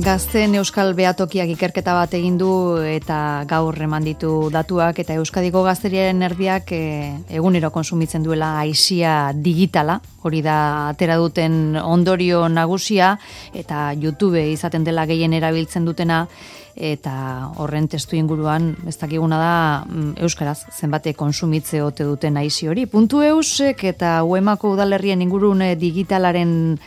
Gazteen Euskal Behatokiak ikerketa bat egin du eta gaur eman ditu datuak eta Euskadiko gazteriaren erdiak egunero konsumitzen duela aisia digitala, hori da atera duten ondorio nagusia eta YouTube izaten dela gehien erabiltzen dutena eta horren testu inguruan ez dakiguna da euskaraz zenbate konsumitze ote duten aisi hori. .eusek eta UEMako udalerrien ingurune digitalaren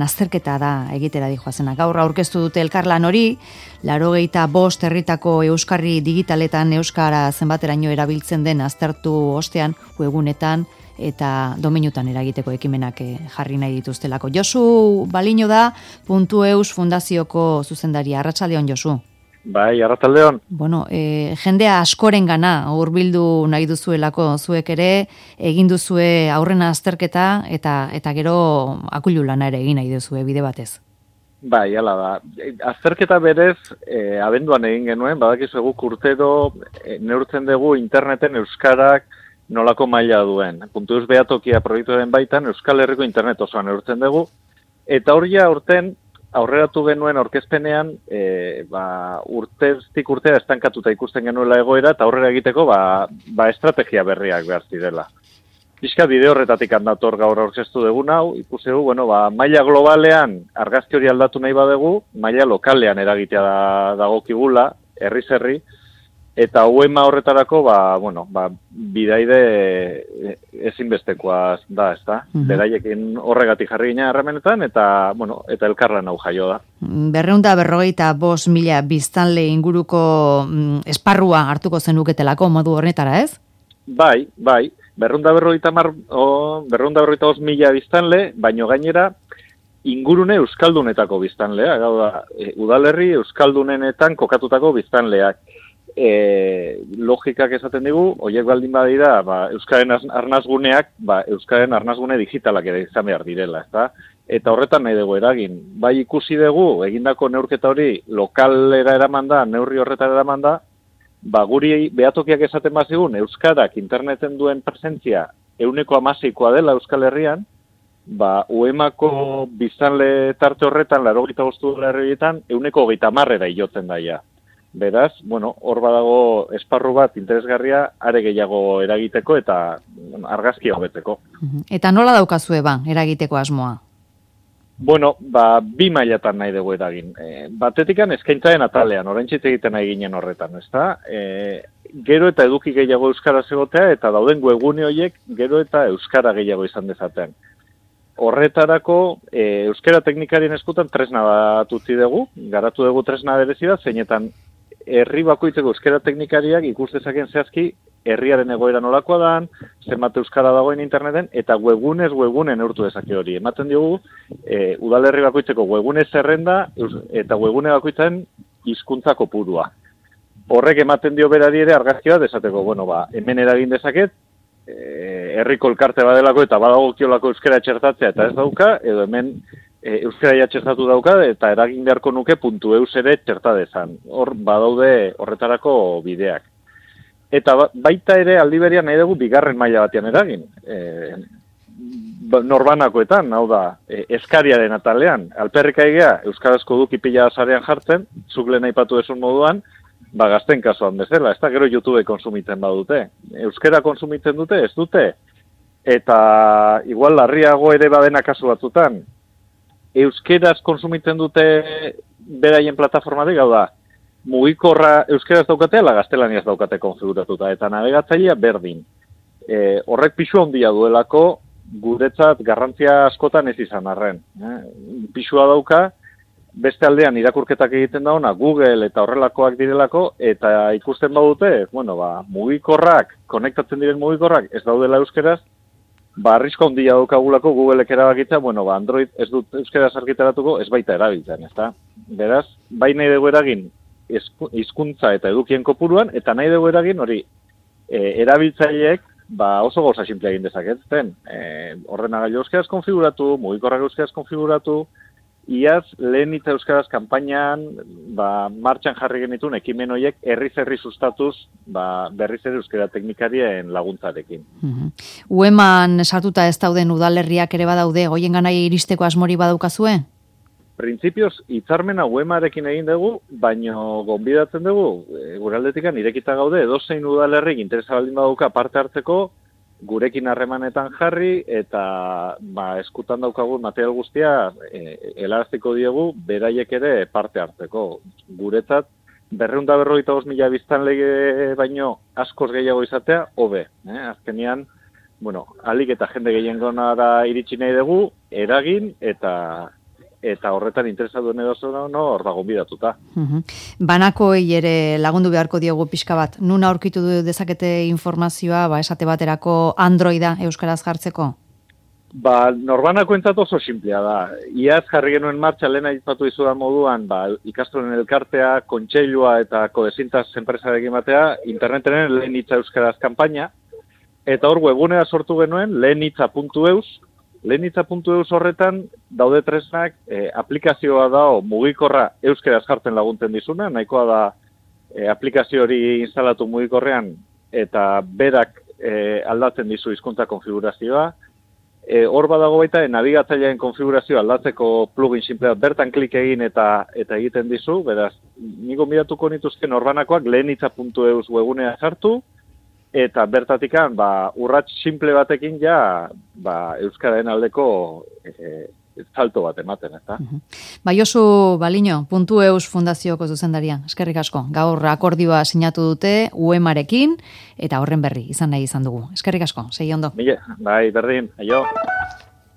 azterketa da egitera dijoazena. Gaur aurkeztu dute elkarlan hori, 85 herritako euskarri digitaletan euskara zenbateraino erabiltzen den aztertu ostean, webgunetan eta domeinutan eragiteko ekimenak jarri nahi dituztelako. Josu Baliño da .eus fundazioko zuzendaria. Arratsaldeon, Josu. Bai, arratsaldeon. Bueno, jendea askorengana hurbildu nahi duzuelako zuek ere, egin duzue aurrena azterketa eta gero akulu lana ere egin nahi duzue bide batez. Bai, hala da. Azterketa berez, abenduan egin genuen, badakizu guk urtero neurtzen dugu interneten euskarak nolako maila duen. .eus behatokia proiektuaren baitan Euskal Herriko internet osoan neurtzen dugu, eta hori urten aurreratu genuen aurkezpenean, urteztik urtea estankatuta ikusten genuela egoera, eta aurrera egiteko estrategia berriak behar zirela. Pixka bide horretatik handator gaur aurkeztu dugun hau, ikusi dugu, maila globalean argazki hori aldatu nahi badegu, maila lokalean eragitea dagokigula, herriz herri, eta UEMA horretarako, bidaide ezinbestekoa da, ezta? Beraiekin horregatik jarri gina harramenetan, eta elkarlan hau jaio da. 255.000 biztanle inguruko esparrua hartuko zenuketelako modu horretara, ez? Bai, 255.000 biztanle, baino gainera, ingurune euskaldunetako biztanlea, gau da, udalerri euskaldunenetan kokatutako biztanleak. Logikak esaten digu, horiek baldin badira, euskaren arnazguneak, euskaren arnazgune digitalak ere izan behar direla, ezta? Eta horretan nahi dugu eragin. Bai ikusi dugu, egindako neurketa hori lokalera eraman da, neurri horretara eraman da, guri behatokiak esaten bazigun, euskarak interneten duen presentzia 16% dela Euskal Herrian, UEMako biztanle tarte horretan, 85 herrietan, 130 jotzen daia. Beraz, hor badago esparru bat interesgarria are gehiago eragiteko eta argazkia hobetzeko. Eta nola daukazue eragiteko asmoa? Bi mailatan nahi dugu eragin. Batetikan eskaintzaren atalean, oraintxe egiten nahi ginen horretan, ezta? Gero eta eduki gehiago euskaraz egotea eta dauden webgune horiek gero eta euskara gehiago izan dezaten. Horretarako, euskara teknikarien eskutan tresna bat utzi dugu, garatu dugu tresna berezi da, zeinetan herri bakoitzeko euskara teknikariak ikus dezaken zehazki herriaren egoera nolakoa dan, zenbat euskara dagoen interneten, eta webgune neurtu dezake hori. Ematen diogu, udalerri bakoitzeko webgune zerrenda eta webgune bakoitzen hizkuntza kopurua. Horrek ematen dio berari ere argazkia desateko, hemen eragin dezaket, herriko elkarte badelako eta badagokiolako euskara txertatzea eta ez dauka, edo hemen euskara txertatu dauka eta eragin beharko nuke .eus ere txerta dezan. Hor badaude horretarako bideak. Eta baita ere aldi berean nahi dugu bigarren maila batean eragin. Norbanakoetan, hau da, eskariaren atalean. Alperrik aigea, euskarazko duki pila sarean jartzen, zuk lehen aipatu esun moduan, gazten kasuan bezala, ez da gero YouTube konsumitzen badute. Euskara konsumitzen dute, ez dute. Eta igual larriago ere badena kasu batzutan. Euskeraz konsumitzen dute beraien plataformatik, hau da, mugikorra euskeraz daukate, ala gaztelaniaz daukate konfiguratuta, eta navegatzailea berdin. Horrek pisua handia duelako, guretzat garrantzia askotan ez izan arren. Pisua dauka, beste aldean irakurketak egiten dauna, Google eta horrelakoak direlako, eta ikusten badute, mugikorrak, konektatzen diren mugikorrak ez daudela euskeraz, arrisko handia daukagulako Googleek erabakitza, Android ez dut euskaraz argitaratuko, ez baita erabiltzen, ezta? Beraz, bai nahi dugu eragin hizkuntza eta edukien kopuruan, eta nahi dugu eragin hori erabiltzaileek oso gauza simple egin dezaketzen. Ordenagailu euskaraz konfiguratu, mugikorrak euskaraz konfiguratu, iaz lehen hitza euskaraz kanpainan martxan jarri genituen ekimen horiek herriz sustatuz berriz ere euskara teknikarien laguntzarekin. UEMan sartuta ez dauden udalerriak ere badaude, goien ganai iristeko asmori badaukazue? printzipioz, hitzarmena UEMarekin egin dugu, baino gonbidatzen dugu, gure aldetikan irekita gaude, edozein udalerrik interesa baldin baduka parte hartzeko, gurekin harremanetan jarri, eta eskutan daukagun material guztia helarazteko diegu, beraiek ere parte hartzeko. Guretzat, 255.000 biztanle baino askoz gehiago izatea, hobe. Azkenean, alik eta jende gehiengonara iritsi nahi dugu, eragin eta horretan interesatu duen hor da gonbidatuta. Banakoei ere lagundu beharko diegu pixka bat. Nun aurkitu dezakete informazioa, esate baterako Androida euskaraz jartzeko? Norbanako entzat oso simplea da. Iaz jarri genuen martxa lehen aipatu izudan moduan, ikastolen elkartea, kontseilua eta kodezintaz enpresarekin batea, interneten lehen hitza euskaraz kanpaina, eta hor webgunea sortu genuen lehenitza.eus, lehenitza.eus horretan daude tresnak aplikazioa da mugikorra euskaraz jartzen laguntzen dizuna, nahikoa da aplikazio hori instalatu mugikorrean eta berak aldatzen dizu hizkuntza konfigurazioa. Hor badago baita nabigatzailearen konfigurazioa aldatzeko plugin simplea bertan klik egin eta egiten dizu, beraz, niko gonbidatuko nituzke norbanakoak lehenitza.eus webgunea sartu, eta bertatikan, urrats simple batekin euskararen aldeko salto bat ematen, eta. Josu Baliño, .eus fundazioko zuzendaria, eskerrik asko. Gaur akordioa sinatu dute UEMarekin, eta horren berri izan nahi izan dugu. Eskerrik asko, segi ondo. Bai, berdin, aio.